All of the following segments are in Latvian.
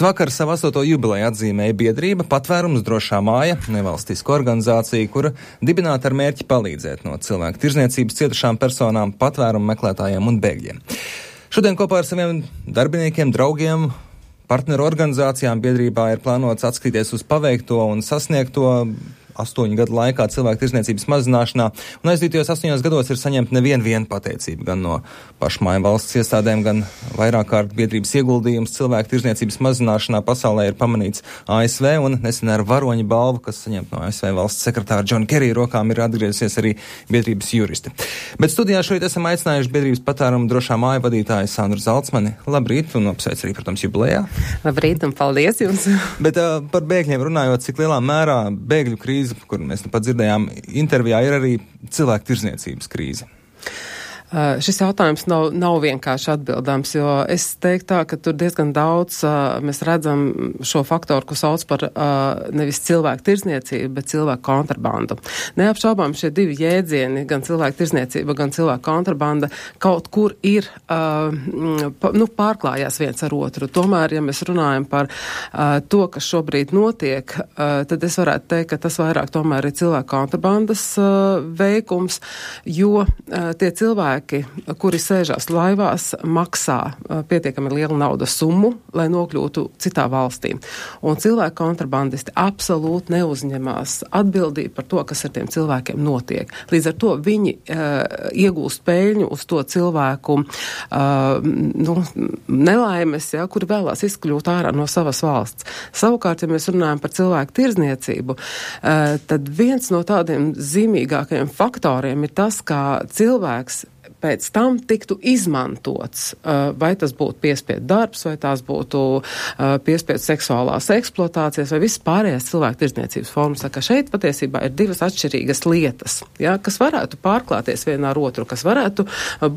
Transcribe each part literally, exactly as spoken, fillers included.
Vakar savu astoto jubileju atzīmēja biedrība Patvērums drošā māja, nevalstiska organizācija, kura dibināta ar mērķi palīdzēt no cilvēku tirzniecības cietušām personām, patvērumu meklētājiem un bēgļiem. Šodien kopā ar saviem darbiniekiem, draugiem, partneru organizācijām biedrībā ir plānots atskatīties uz paveikto un sasniegto astoņu gadu laikā cilvēku tirzniecības mazināšanā, un aizdītajos astoņos gados ir saņemta neviena viena pateicība gan no pašmāju valsts iestādēm, gan vairāk kārt biedrības ieguldījums cilvēku tirzniecības mazināšanā pasaulē ir pamanīts A S V, un nesen ar varoņa balvu, kas saņemta no A S V valsts sekretāra Džona Kerija rokām, ir atgriezusies arī biedrības juristi. Bet studijā šeit esam aicinājuši biedrības Patvērumu drošā māja vadītāju Sandru Zalcmani. Labrīt, un apsveic arī, protams, jubilejā. Labrīt, un paldies jums. Bet uh, par bēgļiem runājot, cik lielā mērā bēgļu krīze, kur mēs nu pat dzirdējām intervijā, ir arī cilvēku tirzniecības krīze? Uh, šis jautājums nav, nav vienkārši atbildams, jo es teiktu tā, ka tur diezgan daudz uh, mēs redzam šo faktoru, ko sauc par uh, nevis cilvēku tirzniecību, bet cilvēku kontrabandu. Neapšaubām šie divi jēdzieni, gan cilvēku tirzniecība, gan cilvēku kontrabanda, kaut kur ir, uh, pa, nu, pārklājās viens ar otru. Tomēr, ja mēs runājam par uh, to, kas šobrīd notiek, uh, tad es varētu teikt, ka tas vairāk tomēr ir cilvēku kontrabandas uh, veikums, jo uh, tie cilvēki, kuri sēžās laivās, maksā uh, pietiekami lielu naudas summu, lai nokļūtu citā valstī. Un cilvēku kontrabandisti absolūti neuzņemās atbildību par to, kas ar tiem cilvēkiem notiek. Līdz ar to viņi uh, iegūst peļņu uz to cilvēku uh, nu, nelaimes, ja, kuri vēlās izkļūt ārā no savas valsts. Savukārt, ja mēs runājam par cilvēku tirzniecību, uh, tad viens no tādiem zīmīgākajiem faktoriem ir tas, kā cilvēks pēc tam tiktu izmantots, vai tas būtu piespiedu darbs, vai tās būtu piespiedu seksuālās eksploatācijas, vai viss pārējās cilvēku tirzniecības formas. Tā kā šeit patiesībā ir divas atšķirīgas lietas, ja, kas varētu pārklāties vienā ar otru, kas varētu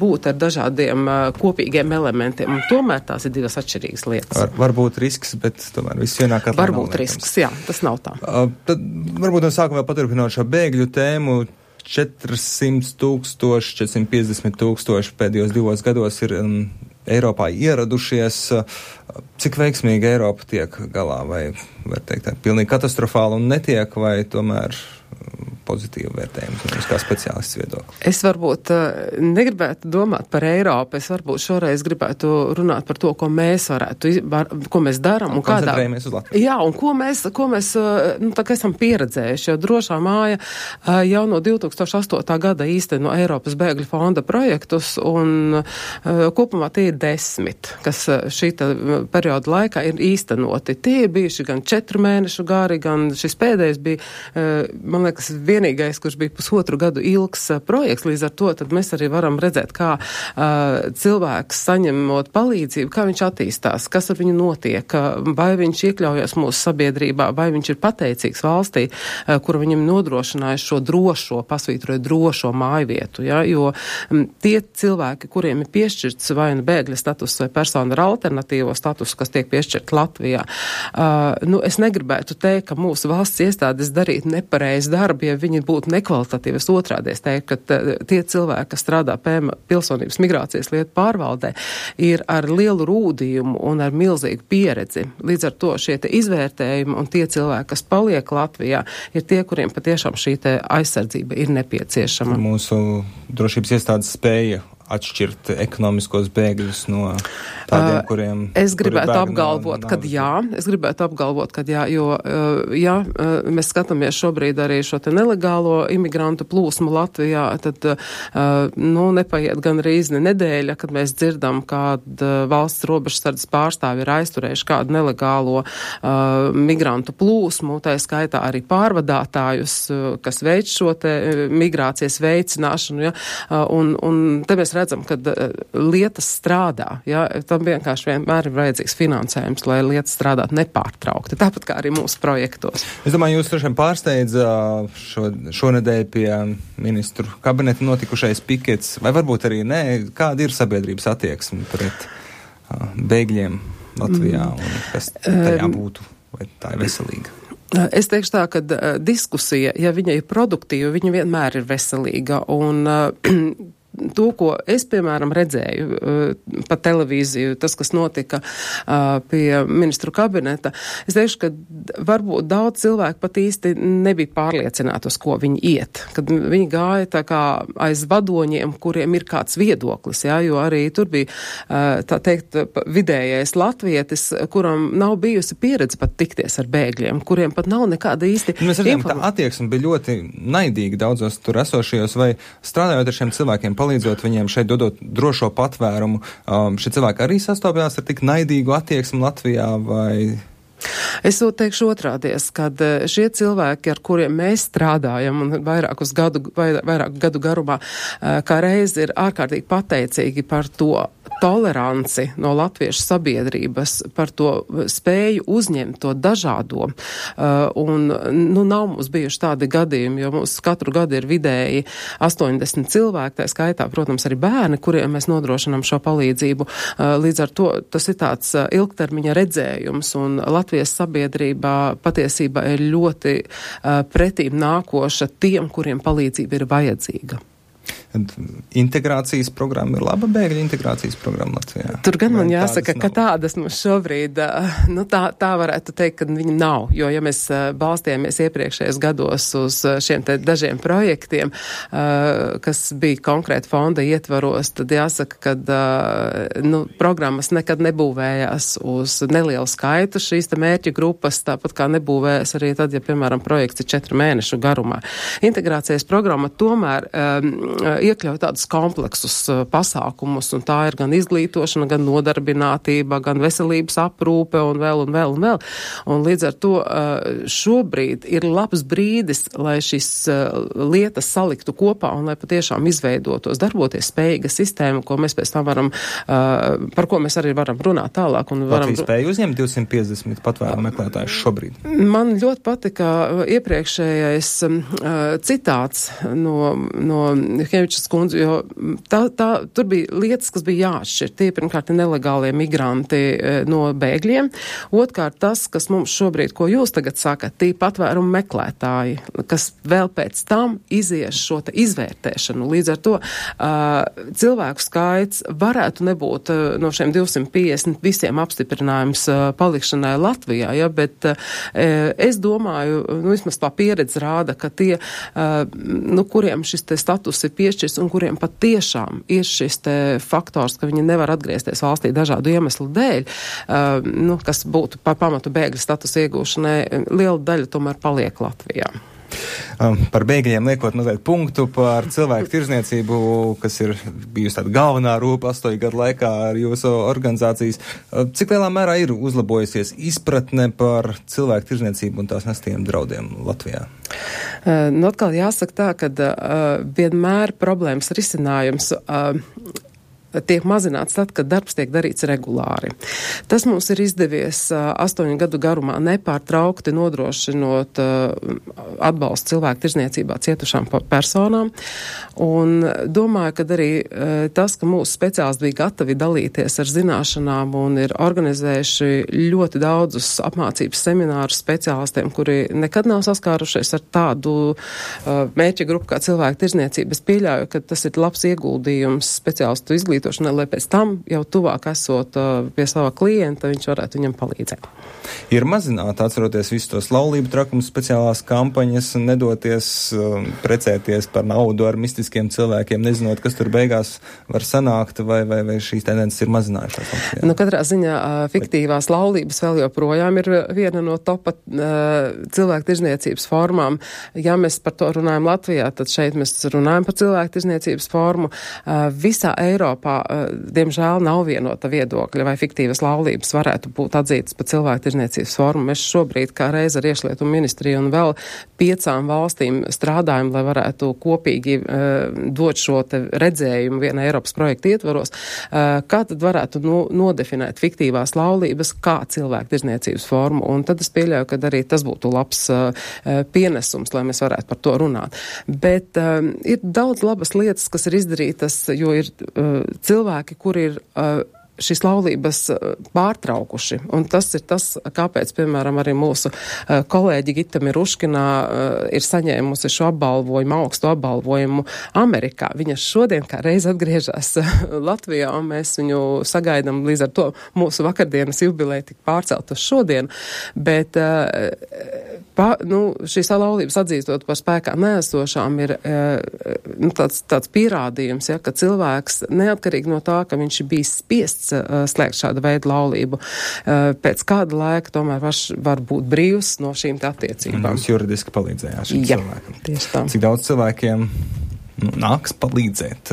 būt ar dažādiem kopīgiem elementiem, un tomēr tās ir divas atšķirīgas lietas. Var, var būt risks, bet tomēr viss vienā katlā var būt risks, jā, tas nav tā. Uh, tad varbūt no sākuma vēl paturpinot šo bēgļu tēmu, četrsimt tūkstoši, četrsimt piecdesmit tūkstoši pēdējos divos gados ir um, Eiropā ieradušies. Cik veiksmīgi Eiropa tiek galā, vai, var teikt, tā, pilnīgi katastrofāli un netiek, vai tomēr pozitīvu vērtējumu, jums kā speciālists viedokli? Es varbūt uh, negribētu domāt par Eiropu, es varbūt šoreiz gribētu runāt par to, ko mēs varētu, var, ko mēs daram un, un kādā. Koncentrējamies uz Latviju. Jā, un ko mēs, ko mēs uh, nu, tā kā esam pieredzējuši, jo drošā māja uh, jau no divi tūkstoši astotā gada īsteno Eiropas bēgļu fonda projektus, un uh, kopumā tie ir desmit, kas uh, šīta perioda laikā ir īstenoti. Tie ir bijuši gan četru mēnešu gari, gan šis pēdējais bija, uh, man liekas, vienīgais, kurš bija pusotru gadu ilgs uh, projekts, līdz ar to tad mēs arī varam redzēt, kā uh, cilvēks saņemot palīdzību, kā viņš attīstās, kas ar viņu notiek, uh, vai viņš iekļaujas mūsu sabiedrībā, vai viņš ir pateicīgs valstī, uh, kura viņam nodrošināja šo drošo, pasvītroja drošo mājvietu, ja, jo um, tie cilvēki, kuriem ir piešķirts vai nu bēgļa status vai persona ar alternatīvo statusu, kas tiek piešķirt Latvijā, uh, nu es negribētu teikt, ka mūsu valsts iestādes darīt nepareizi darbu, ja viņi būtu nekvalitatīvi. Es otrādi es teiktu, ka t, tie cilvēki, kas strādā P M pilsonības migrācijas lietu pārvaldē, ir ar lielu rūdījumu un ar milzīgu pieredzi. Līdz ar to šie te izvērtējumi un tie cilvēki, kas paliek Latvijā, ir tie, kuriem patiešām šī te aizsardzība ir nepieciešama. Mūsu drošības iestādes spēja atšķirt ekonomiskos bēgļus no tādiem, kuriem... Uh, es gribētu apgalvot, no, kad jā, es gribētu apgalvot, kad jā, jo, uh, jā, uh, mēs skatāmies šobrīd arī šo te nelegālo imigrantu plūsmu Latvijā, tad, uh, nu, nepaiet gan rīzni nedēļa, kad mēs dzirdam, kād uh, valsts robežsardzes pārstāvi ir aizturējuši kādu nelegālo uh, migrantu plūsmu, tā skaitā arī pārvadātājus, uh, kas veic šo te uh, migrācijas veicināšanu, ja, uh, un, un te mēs redzam, ka uh, lietas strādā, ja, tam vienkārši vienmēr ir vajadzīgs finansējums, lai lietas strādātu nepārtraukti, tāpat kā arī mūsu projektos. Es domāju, jūs droši vien pārsteidz šo, šonedēļ pie ministru kabineta notikušais pikets, vai varbūt arī nē, kāda ir sabiedrības attieksme pret uh, bēgļiem Latvijā, un kas tajā būtu, vai tā ir veselīga? Es teikšu tā, ka uh, diskusija, ja viņa ir produktīva, viņa vienmēr ir veselīga, un uh, to, ko es, piemēram, redzēju uh, pa televīziju, tas, kas notika uh, pie ministru kabineta, es teikšu, ka varbūt daudz cilvēku pat īsti nebija pārliecināti, uz ko viņi iet. Kad viņi gāja tā kā aiz vadoņiem, kuriem ir kāds viedoklis, jā, jo arī tur bija, uh, tā teikt, vidējais latvietis, kuram nav bijusi pieredze pat tikties ar bēgļiem, kuriem pat nav nekāda īsti mēs redzējām, ka tā attieksme bija ļoti naidīga daudzos tur esošajos, vai strādājot ar šiem cilvēkiem, palīdzot viņiem šeit dodot drošo patvērumu, um, šie cilvēki arī sastopjās ar tik naidīgu attieksmi Latvijā, vai... Es to teikšu otrādies, kad šie cilvēki, ar kuriem mēs strādājam un vairākus gadu, vairāku gadu garumā, kā reiz ir ārkārtīgi pateicīgi par to toleranci no latviešu sabiedrības, par to spēju uzņemt to dažādo. Un, nu, nav mums bijuši tādi gadījumi, jo mums katru gadu ir vidēji astoņdesmit cilvēki, tā skaitā, protams, arī bērni, kuriem mēs nodrošinām šo palīdzību. Līdz ar to tas ir tāds ilgtermiņa redzējums, un Latvijas sabiedrībā patiesībā ir ļoti pretīm nākoša tiem, kuriem palīdzība ir vajadzīga. Integrācijas programma ir laba bēgļu integrācijas programma Latvijā? Tur gan man jāsaka, ka tādas mums šobrīd, nu tā, tā varētu teikt, ka viņi nav, jo ja mēs balstījāmies iepriekšējos gados uz šiem te dažiem projektiem, kas bija konkrēti fonda ietvaros, tad jāsaka, ka nu, programmas nekad nebūvējās uz nelielu skaitu šīs te mērķu grupas, tāpat kā nebūvējas arī tad, ja, piemēram, projekts ir četru mēnešu garumā. Integrācijas programma tomēr um, iekļauj tādus kompleksus uh, pasākumus, un tā ir gan izglītošana, gan nodarbinātība, gan veselības aprūpe un vēl un vēl un vēl. Un līdz ar to uh, šobrīd ir labs brīdis, lai šis uh, lietas saliktu kopā un lai patiešām izveidotos darboties spējīga sistēma, ko mēs pēc tam varam, uh, par ko mēs arī varam runāt tālāk. Un varam... Latvija spēja uzņemt divsimt piecdesmit patvērumu meklētājus šobrīd? Man ļoti patika iepriekšējais uh, citāts no, no Hēvičas kundze, jo tā, tā, tur bija lietas, kas bija jāatšķir. Tie pirmkārt ir nelegālie migranti no bēgļiem. Otkārt tas, kas mums šobrīd, ko jūs tagad sakat, tie patvērumu meklētāji, kas vēl pēc tam izies šo te izvērtēšanu. Līdz ar to uh, cilvēku skaits varētu nebūt uh, no šiem divsimt piecdesmit visiem apstiprinājums uh, palikšanai Latvijā, ja, bet uh, es domāju, nu, vismaz tā pieredze rāda, ka tie, uh, nu, kuriem šis te status ir piešķirs un kuriem pat tiešām ir šis te faktors, ka viņi nevar atgriezties valstī dažādu iemeslu dēļ, uh, nu, kas būtu par pamatu bēgļu status iegūšanai, liela daļa tomēr paliek Latvijā. Um, par bēgļiem liekot mazliet punktu par cilvēku tirzniecību, kas ir bijusi tāda galvenā rūpa astoņu gadu laikā ar jūsu organizācijas. Uh, cik lielā mērā ir uzlabojusies izpratne par cilvēku tirzniecību un tās nestiem draudiem Latvijā? Uh, nu, atkal jāsaka tā, ka uh, vienmēr problēmas risinājums uh, tiek mazināts tad, kad darbs tiek darīts regulāri. Tas mums ir izdevies uh, astoņu gadu garumā nepārtraukti nodrošinot uh, atbalstu cilvēku tirzniecībā cietušām personām. Un domāju, ka arī uh, tas, ka mūsu speciālisti bija gatavi dalīties ar zināšanām un ir organizējuši ļoti daudzus apmācības seminārus speciālistiem, kuri nekad nav saskārušies ar tādu uh, mērķa grupu kā cilvēku tirzniecība. Es pieļauju, ka tas ir labs ieguldījums speciālistu izglītošanai, lai pēc tam jau tuvāk esot uh, pie sava klienta, viņš varētu viņam palīdzēt. Ir mazināt, atceroties visus tos laulību trakumus, speciālās kampaņas, nedoties um, precēties par naudu ar mistiskiem cilvēkiem, nezinot, kas tur beigās var sanākt, vai, vai, vai šīs tendences ir mazinājušās. Latvijā. Nu, katrā ziņā uh, fiktīvās laulības vēl joprojām ir viena no topa uh, cilvēku tirzniecības formām. Ja mēs par to runājam Latvijā, tad šeit mēs runājam par cilvēku tirzniecības formu. Uh, visā Eiropā diemžēl nav vienota viedokļa, vai fiktīvas laulības varētu būt atzītas par cilvēku tirzniecības formu. Mēs šobrīd kā reiz ar iekšlietu ministriju un vēl piecām valstīm strādājam, lai varētu kopīgi uh, dot šo te redzējumu viena Eiropas projekta ietvaros, uh, kā tad varētu no, nodefinēt fiktīvās laulības kā cilvēku tirzniecības formu. Un tad es pieļauju, ka arī tas būtu labs uh, pienesums, lai mēs varētu par to runāt. Bet uh, ir daudz labas lietas, kas ir izdarītas, jo ir uh, cilvēki, kuri ir uh, šīs laulības pārtraukuši. Un tas ir tas, kāpēc, piemēram, arī mūsu uh, kolēģi Gita Miruškinā uh, ir saņēmusi šo apbalvojumu, augstu apbalvojumu Amerikā. Viņa šodien kā reiz atgriežas Latvijā, un mēs viņu sagaidām līdz ar to mūsu vakardienas jubileja tik pārcelt uz šodien. Bet uh, pa, nu, šīs laulības atzīstot par spēkā neesošām ir uh, nu, tāds, tāds pierādījums, ja, ka cilvēks neatkarīgi no tā, ka viņš bija spiests slēgt šādu veidu laulību. Pēc kāda laika tomēr var, var būt brīvs no šīm attiecībām. Jūs juridiski palīdzējāt šim Jā, cilvēkam. Tieši tā. Cik daudz cilvēkiem nu, nāks palīdzēt?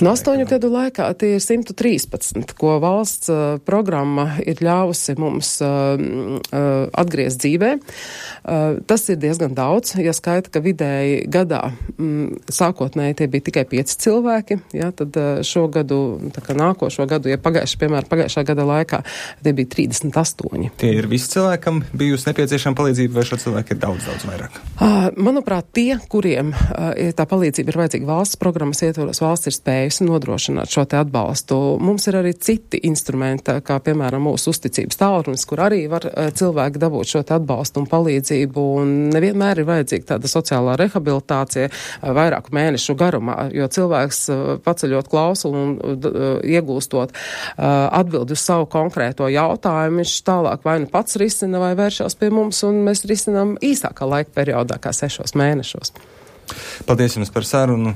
No astoņu gadu laikā tie ir simt trīspadsmit, ko valsts uh, programma ir ļāvusi mums uh, uh, atgriezt dzīvē. Uh, tas ir diezgan daudz, ja skaita, ka vidēji gadā mm, sākotnēji tie bija tikai pieci cilvēki, ja, tad uh, šo gadu, tā kā nākošo gadu, ja pagājuši, piemēram, pagājušā gada laikā, tie bija trīsdesmit astoņi. Tie ir visi cilvēkam bijusi nepieciešama palīdzība, vai šo cilvēku ir daudz, daudz vairāk? Uh, manuprāt, tie, kuriem uh, tā palīdzība ir vajadzīga valsts programmas ietvaros, valsts ir spējusi nodrošināt šo te atbalstu. Mums ir arī citi instrumenti, kā piemēram mūsu uzticības tālrunis, kur arī var uh, cilvēki dabūt šo te atbalstu un palīdzību, un nevienmēr ir vajadzīga tāda sociālā rehabilitācija uh, vairāku mēnešu garumā, jo cilvēks uh, paceļot klausulu un uh, iegūstot uh, atbildi uz savu konkrēto jautājumu, viņš tālāk vai nu pats risina vai vēršās pie mums, un mēs risinām īsākā laika periodā kā sešos mēnešos. Paldies jums par sarunu.